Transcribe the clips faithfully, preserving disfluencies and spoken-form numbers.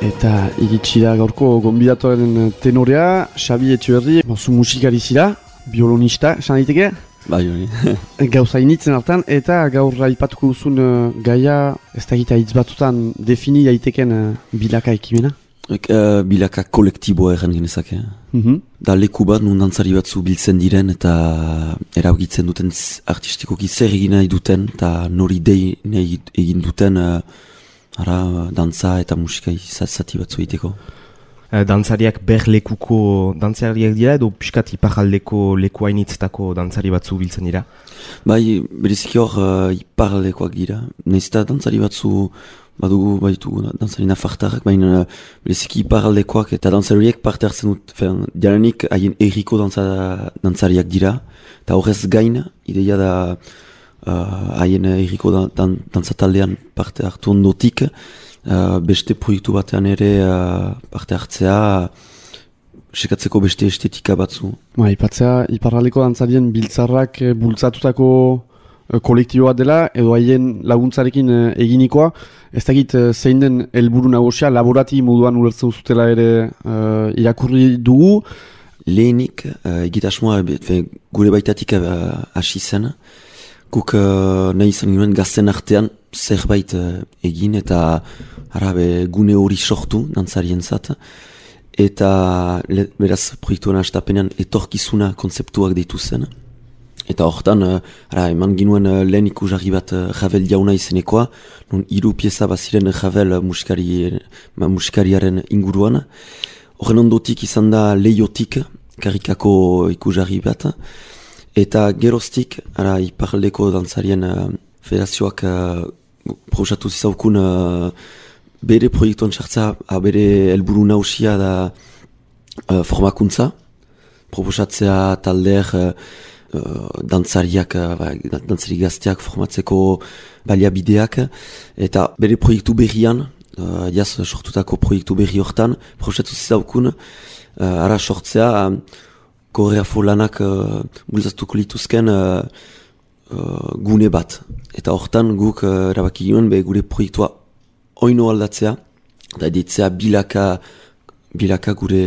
Eta iritsi da gaurko gonbidatuaren tenorea, Xabi Etxeberri, zu musikari zira, biolonista, esan daiteke? Bai, hori. Gauza initzen hartan, eta gaur aipatuko duzun uh, gaia, ez da gita hitz batutan defini daiteken uh, bilaka ekimena? Uh, bilaka kolektiboa erran genezake. Mm-hmm. Da leku bat, nun dantzari batzu biltzen diren, eta eragitzen duten artistikoki zer egin nahi duten, eta nori dei nahi egin duten, uh, ara, dantza eta musika izazati batzu egiteko. Dantzariak ber lekuko dantzariak dira edo piskat iparaldeko leku hainitzetako dantzari batzu biltzen dira? Bai, bereziki hor uh, iparaldekoak dira. Nahiz eta dantzari batzu badugu baitu dantzari nafartarrak, baina uh, bereziki iparaldekoak eta dantzari horiek parte hartzen dut. Jaranik haien erriko dantza, dantzariak dira, eta horrez gain, ideia da haien uh, erriko dan, dan, dantzataldean parte hartu ondotik, Uh, beste proiektu batean ere uh, parte hartzea, sekatzeko beste estetika batzu. Ba, ipatzea, iparraldeko dantzarien biltzarrak e, bultzatutako e, kolektibo bat dela, edo haien laguntzarekin e, eginikoa. Ez dakit e, zein den helburu nagusia, laborati moduan ulertzen zutela ere e, irakurri dugu. Lehenik, uh, egitasmoa gure baitatik hasi uh, zen. Guk uh, nahi izan ginen gazten artean zerbait uh, egin eta arabe gune hori sortu dantzarien zat. Eta le, beraz proiektuan hastapenean etorkizuna kontzeptuak deitu zen. Eta hortan, uh, ara, eman ginuen uh, lehen ikusarri bat uh, Ravel jauna izenekoa, non hiru pieza baziren Ravel uh, musikari, uh, musikariaren inguruan. Horren ondotik izan da Leiotik, karikako ikusarri bat. Eta geroztik, ara, iparaldeko dantzarien uh, federazioak uh, proxatu zizaukun uh, bere proiektuan sartza, uh, bere helburu nausia da uh, formakuntza, proposatzea talder uh, uh, dantzariak, uh, dantzari gazteak formatzeko baliabideak, eta bere proiektu berrian, uh, jaz sortutako proiektu berri hortan, proxatu zizaukun, uh, ara sortzea, uh, koreafo lanak uh, bultzatuko lituzken uh, uh, gune bat. Eta hortan guk uh, erabaki ginen be gure proiektua oino aldatzea, eta editzea bilaka, bilaka gure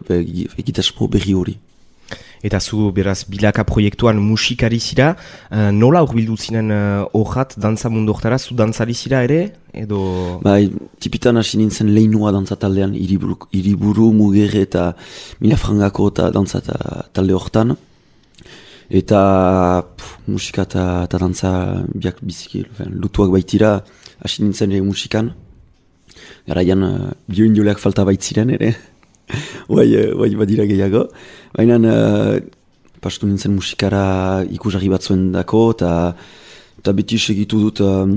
be, egitasmo berri hori. Eta zu beraz bilaka proiektuan musikari zira, uh, nola urbildu zinen horrat uh, dantza mundu hortara, zu dantzari zira ere? Edo... Bai, tipitan hasi nintzen lehinoa dantza taldean, iriburu, iriburu mugerre eta mila frangako eta dantza talde hortan. Eta pff, musika eta, eta dantza biak biziki, lutuak baitira, hasi nintzen ere musikan. Garaian uh, bioindoleak falta baitziren ere. Bai, bai badira gehiago. Baina uh, pastu nintzen musikara ikusarri batzuen dako, eta beti segitu dut um,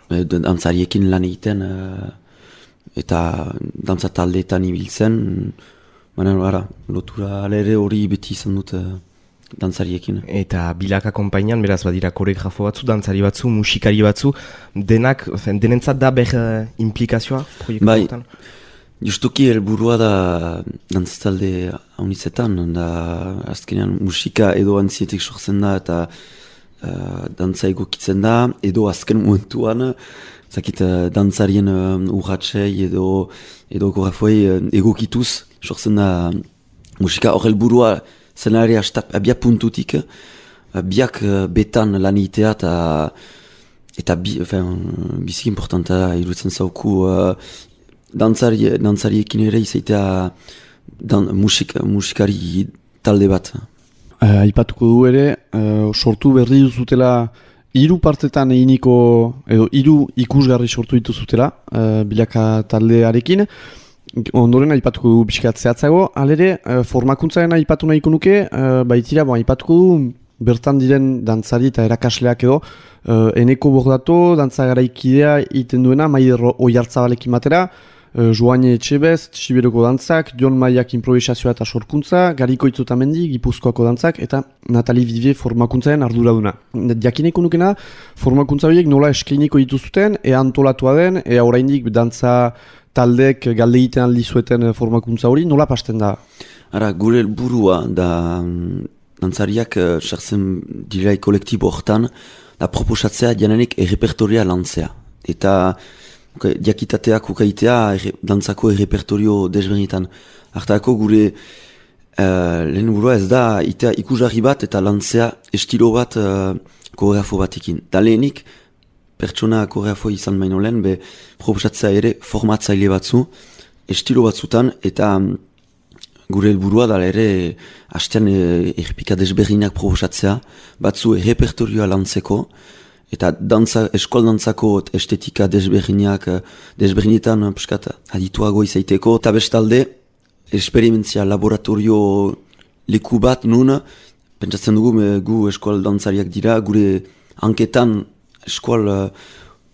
dantzariekin lan egiten, uh, eta dantza taldeetan ibiltzen. Baina, ara, lotura alere hori beti izan dut uh, dantzariekin. Eta bilaka konpainian, beraz badira koreografo batzu, dantzari batzu, musikari batzu, denak, denentzat da ber uh, implikazioa proiektu bai. hortan? Justuki helburua da dantzalde haunitzetan, da azkenean musika edo antzietik sortzen da eta uh, dantza egokitzen da, edo azken momentuan, zakit uh, dantzarien uh, urratsei edo, edo koreografoei uh, egokituz sortzen da musika. Hor helburua zenare abia puntutik, uh, biak uh, betan lan egitea eta eta bi, enfin, biziki importanta iruditzen zauku uh, Dantzari, dantzariekin ere izaitea dan, musik, musikari talde bat. Uh, Aipatuko du ere, uh, sortu berri duzutela hiru partetan eginiko, edo hiru ikusgarri sortu dituzutela uh, bilaka taldearekin. Ondoren aipatuko du pixkat zehatzago, alere uh, formakuntzaren aipatu nahiko nuke, uh, baitira, bon, aipatuko du bertan diren dantzari eta erakasleak edo, uh, Eneko Bordato, dantza garaikidea iten duena, Maider Oiartzabalekin batera, Uh, Joane Etxebez, Siberoko dantzak, Jon Maiak improvisazioa eta sorkuntza, Gariko Itzotamendi, Gipuzkoako dantzak, eta Natali Vivier formakuntzaren arduraduna. Jakineko nukena, formakuntza horiek nola eskeiniko dituzuten, ea antolatua den, ea oraindik dantza taldek galde egiten aldi zueten formakuntza hori, nola pasten da? Ara, gure helburua da dantzariak sartzen uh, dirai kolektibo hortan, da proposatzea jananik errepertoria lantzea. Eta okay, diakitateak ukaitea erre, dantzako errepertorio desberdinetan. Hartako gure uh, lehen burua ez da itea ikusgarri bat eta lantzea estilo bat uh, koreografo batekin. Da lehenik, pertsona koreografo izan baino lehen, be proposatzea ere formatzaile batzu, estilo batzutan, eta um, gure helburua da ere hastean e, errepika desberdinak proposatzea, batzu errepertorioa lantzeko, eta dantza, eskol dantzako estetika desberdinak, desberdinetan piskat adituago izaiteko, eta bestalde, esperimentzia laboratorio leku bat nun, pentsatzen dugu me, gu eskol dantzariak dira, gure hanketan eskol uh,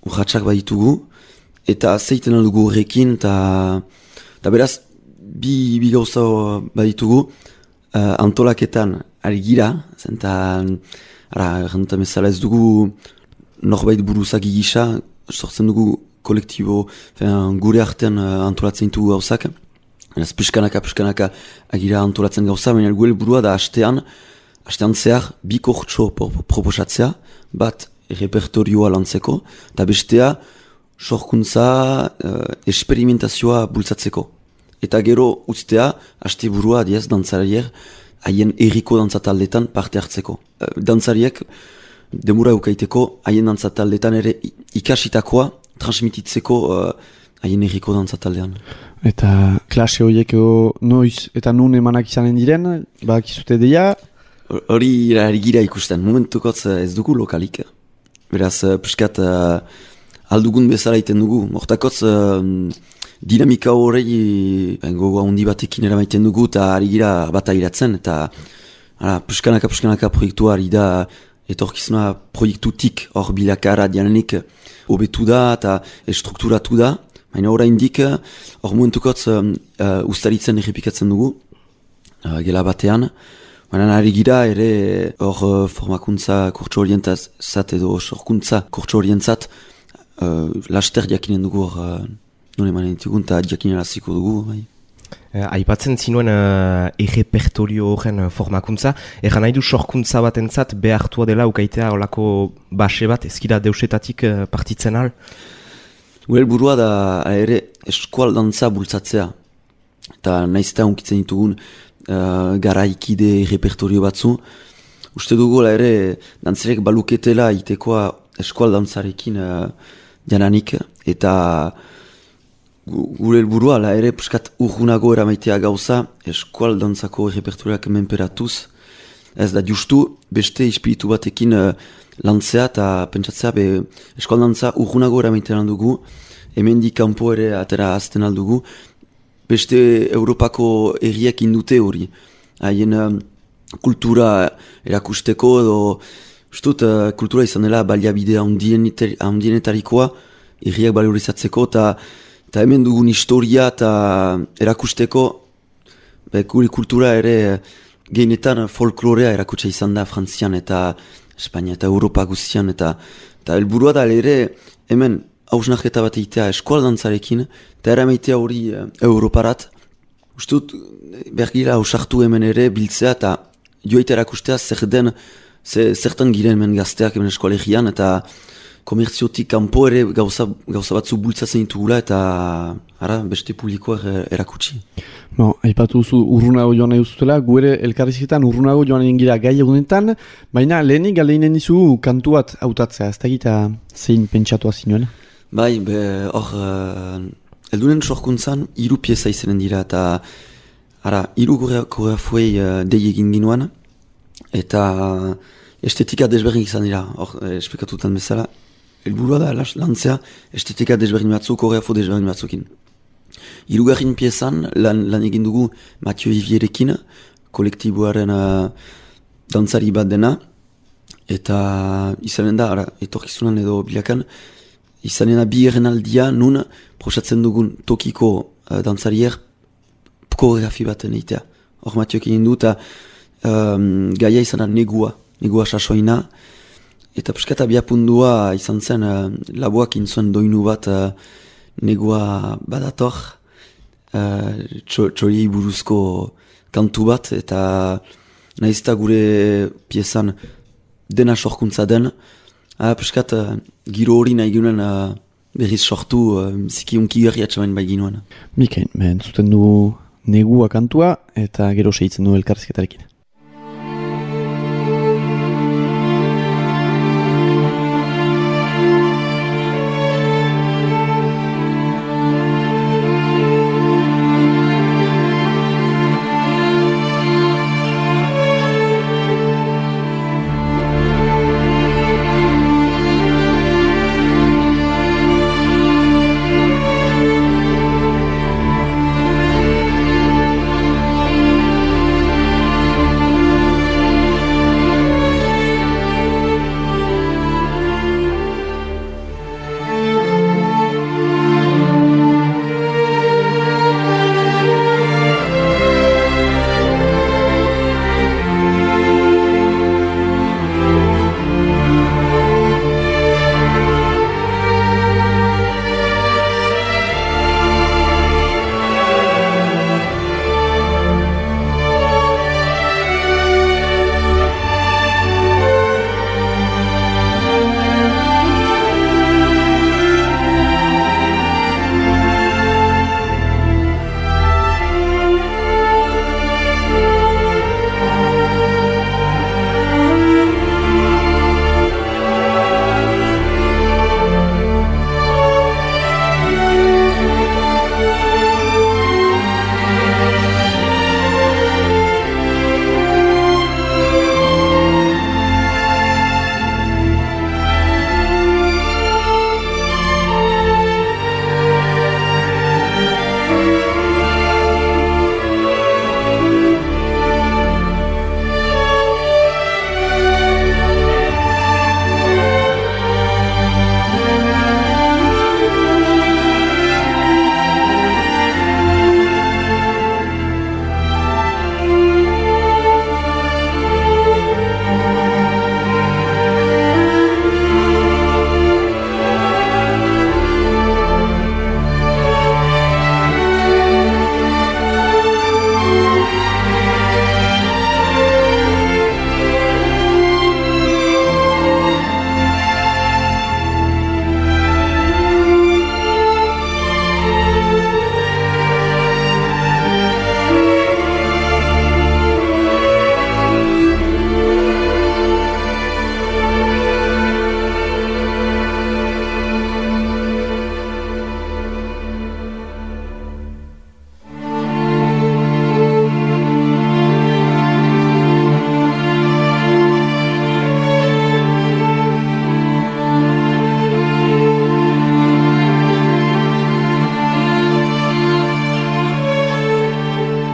urratxak baditugu, eta zeiten dugu horrekin, eta beraz, bi, bi gauza baditugu, uh, antolaketan ari gira, zenta, ara, erranduta bezala ez dugu norbait buruzak gisa, sortzen dugu kolektibo, fean, gure artean uh, antolatzen ditugu gauzak, ez piskanaka, piskanaka agira antolatzen gauza, baina gu helburua da hastean, hastean zehar bi kortso proposatzea, bat repertorioa lantzeko, eta bestea sorkuntza, uh, esperimentazioa bultzatzeko. Eta gero ustea, haste burua diaz dantzariek, haien erriko dantzataldetan parte hartzeko. Uh, dantzariek, demura eukaiteko, haien dantzataldetan ere ikasitakoa transmititzeko uh, haien erriko dantzataldean. Eta klase horiek noiz eta nun emanak izanen diren, bak izute deia? Hori gira ikusten, momentukotz ez dugu lokalik. Beraz, piskat uh, aldugun bezala iten dugu. Hortakotz uh, dinamika horrei gogoa hundi batekin eramaiten dugu eta ari gira bat agiratzen. Eta ara, piskanaka, piskanaka proiektua ari da etorkizuna proiektutik hor bilakara dianenik hobetu da eta estrukturatu da. Baina oraindik hor momentukotz uh, uh, ustaritzen errepikatzen dugu, uh, gela batean. Baina ari gira ere hor uh, formakuntza kurtso orientzat edo sorkuntza kurtso orientzat uh, laster jakinen dugu hor uh, non emanen ditugun eta jakinen aziko dugu. Bai. Uh, aipatzen zinuen uh, errepertorio horren uh, formakuntza, erran nahi du sorkuntza batentzat behartua dela ukaitea olako base bat, ezkira deusetatik uh, partitzen al? Gure burua da ere eskual dantza bultzatzea. Eta nahiz eta unkitzen ditugun uh, garaikide repertorio batzu. Uste dugu ere dantzarek baluketela itekoa eskual dantzarekin uh, jananik. Eta gure burua ere puskat urgunago eramaitea gauza eskual dantzako repertorioak menperatuz. Ez da justu beste espiritu batekin uh, lantzea eta pentsatzea be eskual dantza urgunago eramaitean dugu. Hemen di kanpo ere atera azten aldugu. Beste Europako erriak indute hori. Haien uh, kultura erakusteko edo ustut uh, kultura izan dela baliabide handienetarikoa erriak balorizatzeko eta hemen dugun historia eta erakusteko be, gure kultura ere uh, gehienetan folklorea erakutsa izan da Frantzian eta Espainia eta Europa guztian eta helburua da ere hemen hausnarketa bat egitea eskual dantzarekin, eta eramaitea hori uh, Europarat. Ustut, bergira hausartu hemen ere biltzea eta joita erakustea zer den, ze, zertan giren hemen gazteak hemen eskoalegian, eta komertziotik kanpo ere gauza, gauza batzu bultzatzen ditugula eta ara, beste publikoa er, erakutsi. No, aipatu zu urrunago joan nahi duzutela, gu ere elkarrizketan urrunago joan egin gira gai egunetan, baina lehenik galeinen dizu kantu bat hautatzea, ez da gita zein pentsatua zinuen? Bai, hor, uh, eldunen sorkuntzan, hiru pieza izanen dira, eta ara, hiru koreografoei uh, dei egin ginoan, eta uh, estetika desberdin izan dira, hor, eh, esplikatutan bezala, helburua da lantzea estetika desberdin batzuk, koreografo desberdin batzukin. Hirugarren piezan lan, lan egin dugu Mathieu Vivierekin, kolektiboaren uh, dantzari bat dena, eta izanen da, ara, etorkizunan edo bilakan, izanen da bi errenaldia nun prosatzen dugun tokiko uh, dantzarier koreografi baten eitea. Hor Mathieuek egin du, eta um, gaia izan da negua, negua sasoina, eta piskata biapundua izan zen uh, laboak inzuen doinu bat uh, negua badator, uh, txoriei buruzko kantu bat, eta nahizta gure piezan dena sorkuntza den, uh, piskat uh, giro hori nahi ginen uh, berriz sortu uh, ziki unki garri atxamain bai ginoan. Mikain, ben, zuten du negua kantua eta gero segitzen du elkarrizketarekin.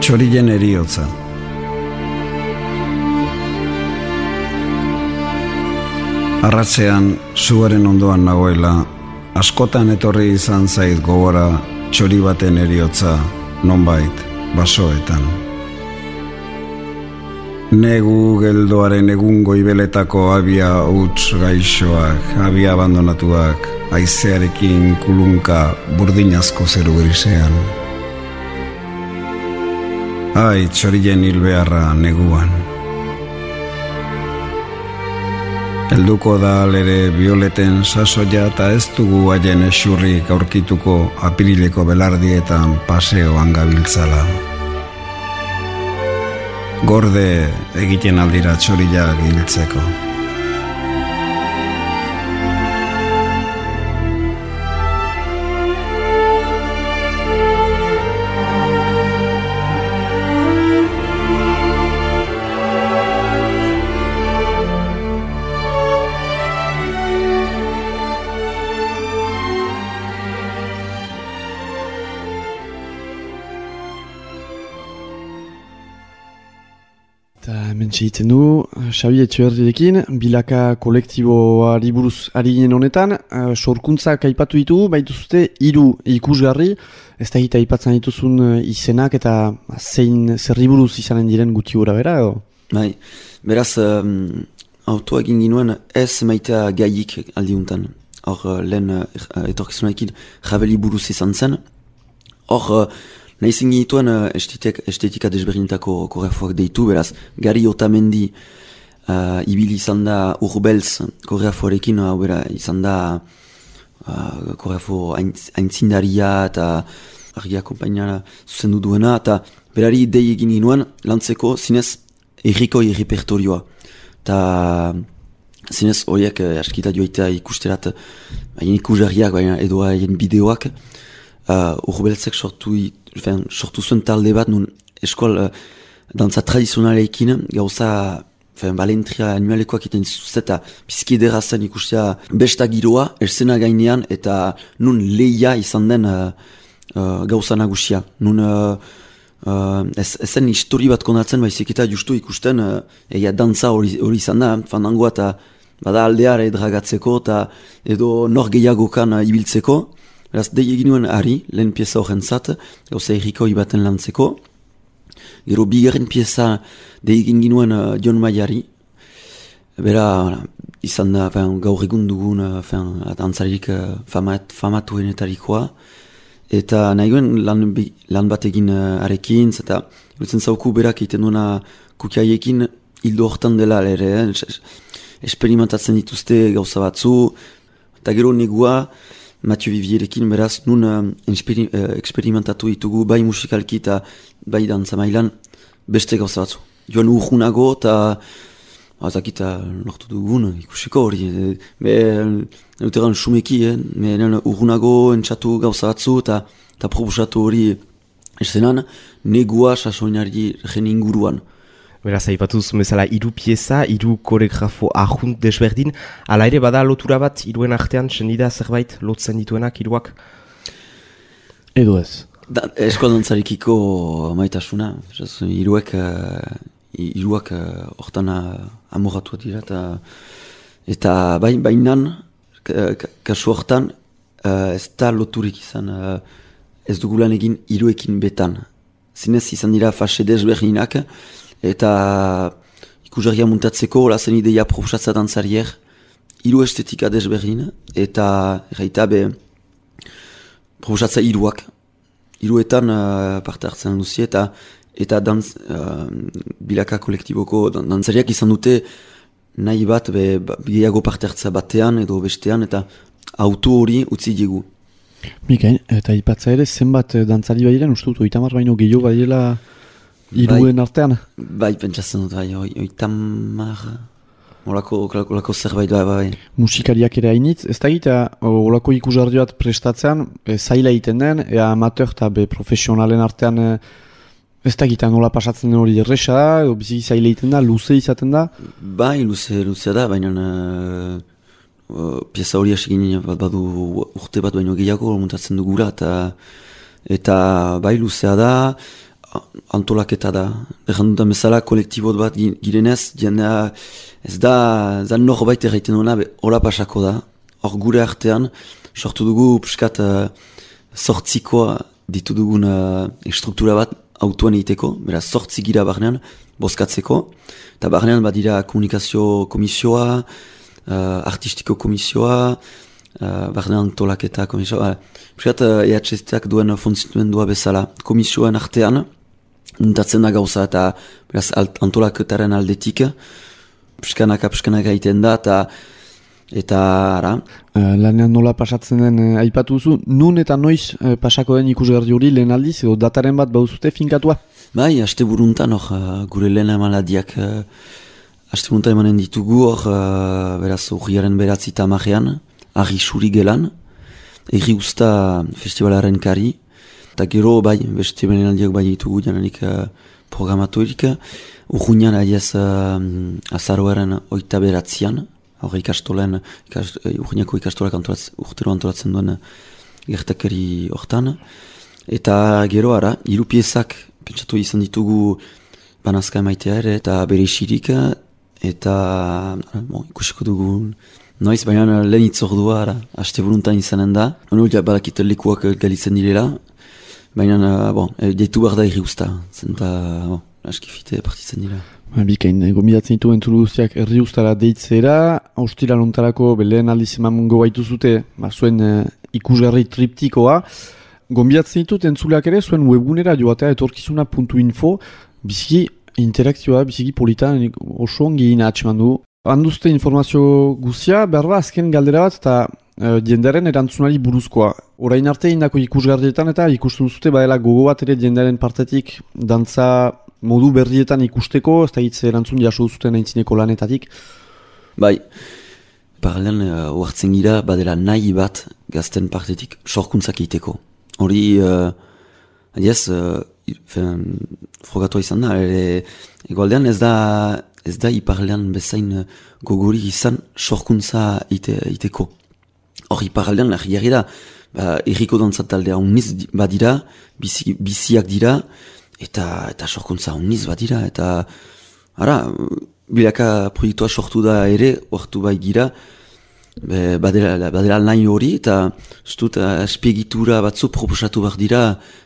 Txorilen eriotza. Arratzean, zuaren ondoan nagoela, askotan etorri izan zait gogora txori baten eriotza, nonbait, basoetan. Negu geldoaren egun goibeletako abia huts gaixoak, abia abandonatuak, haizearekin kulunka burdinazko zeru grisean. Ai, txorilen hilbeharra neguan. Helduko da alere bioleten sasoia eta ez dugu haien esurrik aurkituko apirileko belardietan paseoan gabiltzala. Gorde egiten aldira txorilak hiltzeko. Eta hemen txegiten du, Xabi Etxeberrirekin, bilaka kolektiboari buruz ari ginen honetan, uh, sorkuntzak aipatu ditugu, baituzute hiru ikusgarri, ez da hita aipatzen dituzun uh, izenak eta zein zerri buruz izanen diren guti gora bera, edo? Bai, beraz, um, autoa egin ginuen ez maitea gaiik aldiuntan. Hor, uh, lehen uh, etorkizunaekin jabeli buruz izan zen. Hor, uh, nahi zinginituen uh, estetik, estetika desberdinetako koreografoak deitu, beraz, Gari Otamendi uh, ibili izan da Urbelz koreografoarekin, hau bera, izan da uh, koreografo aintzindaria eta argia kompainara zuzendu duena, eta berari dei egin ginuen lantzeko zinez erriko errepertorioa. Eta zinez horiek eh, askita joaitea ikusterat haien ikusarriak baina edo haien bideoak uh, urbeltzek sortu, fen, sortu zuen talde bat nun eskol uh, dantza tradizionaleekin gauza fen, balentria anualekoak iten zuzet eta bizkidera zen ikustea besta giroa erzena gainean eta nun leia izan den uh, uh, gauza nagusia. Nun uh, Uh, ez, ezen histori bat kondatzen baizik eta justu ikusten uh, egia dantza hori izan da, fandangoa eta bada aldeare dragatzeko eta edo nor gehiagokan uh, ibiltzeko. Beraz, dei egin nuen ari, lehen pieza horren zat, gauza errikoi baten lantzeko. Gero bigarren pieza dei egin ginuen uh, Jon Maiari. Bera, izan da, fin, gaur egun dugun uh, dantzarik uh, famat, famatuenetarikoa. Eta nahi guen lan, lan bat egin uh, arekin, eta irutzen zauku berak egiten duena kukiaiekin hildo hortan dela ere, eh? Experimentatzen dituzte gauza batzu, eta gero negua Mathieu Vivierekin beraz nun uh, experi, uh, experimentatu ditugu bai musikalki eta bai dantza mailan beste gauza batzu. Joan urgunago eta azakita lortu dugun ikusiko hori. Be, euteran sumeki, eh? Me urgunago entxatu gauza batzu eta eta proposatu hori esenan negua sasoinari gen inguruan. Beraz, aipatu duzu bezala hiru pieza, hiru koreografo ahunt desberdin, ala ere bada lotura bat hiruen artean, sendida zerbait lotzen dituenak hiruak? Edo ez. Da, eskol dantzarikiko maitasuna, hiruek hiruak hortan uh, amoratu dira eta eta bain, bainan kasu hortan uh, ez da loturik izan uh, ez dugulan egin hiruekin betan. Zinez izan dira fase desberdinak eta ikusarria muntatzeko lazen ideia proposatza dantzarier hiru estetika desberdin eta erraita be proposatza hiruak. Hiruetan uh, parte hartzen duzi eta eta dantz, uh, bilaka kolektiboko dantzariak izan dute nahi bat be, gehiago parte hartza batean edo bestean eta auto hori utzi digu. Mikain, eta ipatza ere zenbat dantzari bairen, uste dut, oitamar baino gehiago baiela hiruen bai, artean? Bai, pentsatzen dut, bai, oitamar, olako, olako zerbait bai, bai. Musikariak ere hainitz, ez da gita, olako ikusarri bat prestatzean, e, zaila egiten den, ea amateur eta be profesionalen artean, e, ez da gita nola pasatzen den hori erresa da, edo bizi zaila egiten da, luze izaten da? Bai, luze, luzea da, baina uh, uh, pieza hori asegin bat badu urte bat baino gehiago montatzen dugura, eta, eta bai luzea da, antolaketa da. Errandutan bezala, kolektibot bat girenez, jendea ez da, da norbait erraiten duena, hola pasako da. Hor gure artean, sortu dugu piskat uh, sortzikoa ditu dugun uh, struktura bat, autoan egiteko, beraz sortzi gira barnean, bozkatzeko, eta barnean badira komunikazio komisioa, uh, artistiko komisioa, uh, barnean tolaketa komisioa, piskat uh, E H S T-ak duen funtzionamendua bezala, komisioen artean, muntatzen da gauza eta beraz antolaketaren aldetik, piskanaka piskanaka egiten da, eta Eta, ara? Uh, lanean nola pasatzen den, uh, aipatu duzu, nun eta noiz uh, pasako den ikusgarri hori lehen aldiz, edo dataren bat bauzute finkatua? Bai, haste buruntan hor, uh, gure lehen emaladiak, uh, haste buruntan emanen ditugu hor, uh, beraz, urriaren beratzi tamarean, argi suri gelan, erri usta festivalaren kari, eta gero, bai, beste emaladiak bai ditugu jananik uh, programatuerik, urruinan aiez uh, azaroaren oita beratzian, hor ikastolen, ikast, urginako ikastolak antolatzen, urtero antolatzen duen gertakari hortan. Eta gero ara, hiru piezak pentsatu izan ditugu banazka emaitea ere, eta bere isirik, eta bon, ikusiko dugu noiz, baina lehen itzordua, ara, haste buruntan izanen da. Honu, ja, badakit lekuak galitzen direla, baina, bon, deitu behar da irri usta, zenta, bon, askifite partitzen dira. Bikain, gomidatzen ditu entzulu guztiak herri ustara deitzera, austira lontarako belen aldiz emango baitu zute, ba, zuen uh, ikusgarri triptikoa. Gomidatzen ditut entzuleak ere, zuen webgunera joatea etorkizuna puntu info, biziki interakzioa, biziki polita, oso ongi ina atxeman du. Handuzte informazio guzia, behar ba, azken galdera bat, eta uh, jendearen erantzunari buruzkoa. Orain arte indako ikusgarrietan eta ikusten zute badela gogo bat ere jendearen partetik dantza modu berrietan ikusteko, ez da hitz erantzun jaso zuten aintzineko lanetatik. Bai, paralean uh, oartzen gira badela nahi bat gazten partetik sorkuntzak egiteko. Hori, uh, adiez, uh, frogatu izan da, ere, egoaldean ez da, ez da iparlean bezain gogori izan sorkuntza ite, iteko. Hor iparlean nahi da, ba, erriko dantzat taldea uniz badira, bizi, biziak dira, eta eta sorkuntza uniz badira, eta ara, bilaka proiektua sortu da ere, ortu bai gira, Be, badela, badela nahi hori, eta zutut aspegitura batzu proposatu behar dira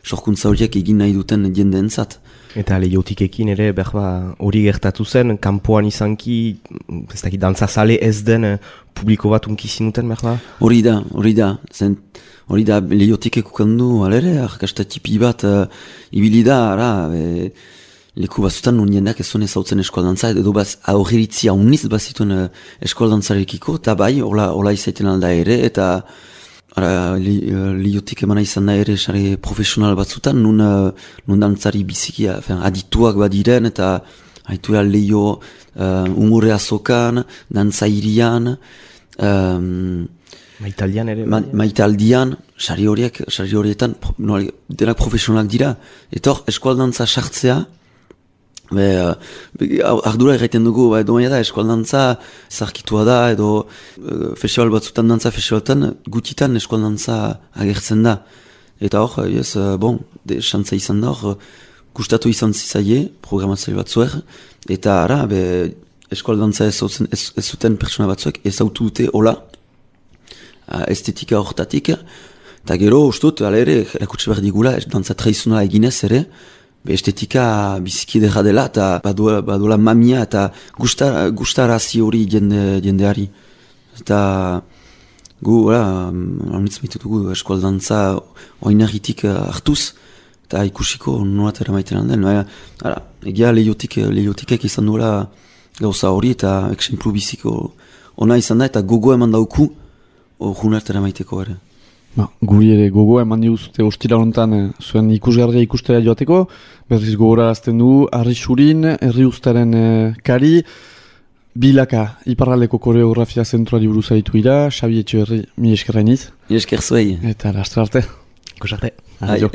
sorkuntza horiek egin nahi duten jendeentzat. Eta lehotikekin ere berba hori gertatu zen, kanpoan izanki, ez dakit, dantzazale ez den publiko bat unki zinuten berba? Hori da, hori da, zen, hori da lehotikek ukandu, alere, arkastatipi bat uh, ibili da, ara, be, leku bazutan nun jendeak ez zuen ezautzen eskualdantza, edo baz aurriritzia uniz bazituen uh, eskualdantzarekiko, eta bai, hola, hola izaiten alda ere, eta li, uh, liotik emana izan da ere sare profesional batzutan, nun, uh, nun dantzari bizikia, fen, adituak badiren, eta haitura lehio uh, umore azokan, dantza irian, um, Maitaldian ere? Ma, maitaldian, sari horiek, sari horietan, no, denak profesionalak dira, eta hor, eskualdantza sartzea, Be, be, ardura erraiten dugu, ba, edo maia da, eskualdantza zarkitua da, edo e, festival batzutan dantza festivaltan, gutitan eskualdantza agertzen da. Eta hor, yes, bon, de xantza izan da hor, gustatu izan zizaie, programatzaile batzuer, eta ara, be, eskualdantza ez, ez, ez zuten pertsona batzuek ez autu dute hola, estetika hortatik, eta gero, ustut, ala ere, erakutsi behar digula, dantza tradizionala eginez ere, estetika biziki derra dela eta baduela, baduela mamia eta gustar, gustarazi hori jende, jendeari. Eta gu, haunitz maitu dugu eskualdantza oinarritik hartuz eta ikusiko nolat eramaiten handen. Ara, egia lehiotik, lehiotikek izan duela gauza hori eta eksemplu biziko ona izan da eta gogo eman dauku junart eramaiteko ere. Ba, guri ere gogoa eman diguzute ostira honetan eh, zuen ikusgarria ikustera joateko, berriz gogorarazten du, Arri Xurin, herri ustaren eh, kari, bilaka, iparraldeko koreografia zentroari buruz aritu ira, Xabi Etxeberri, mi eskerrainiz. Mi esker zuei. Eta lastra arte. Ikus arte. Adio.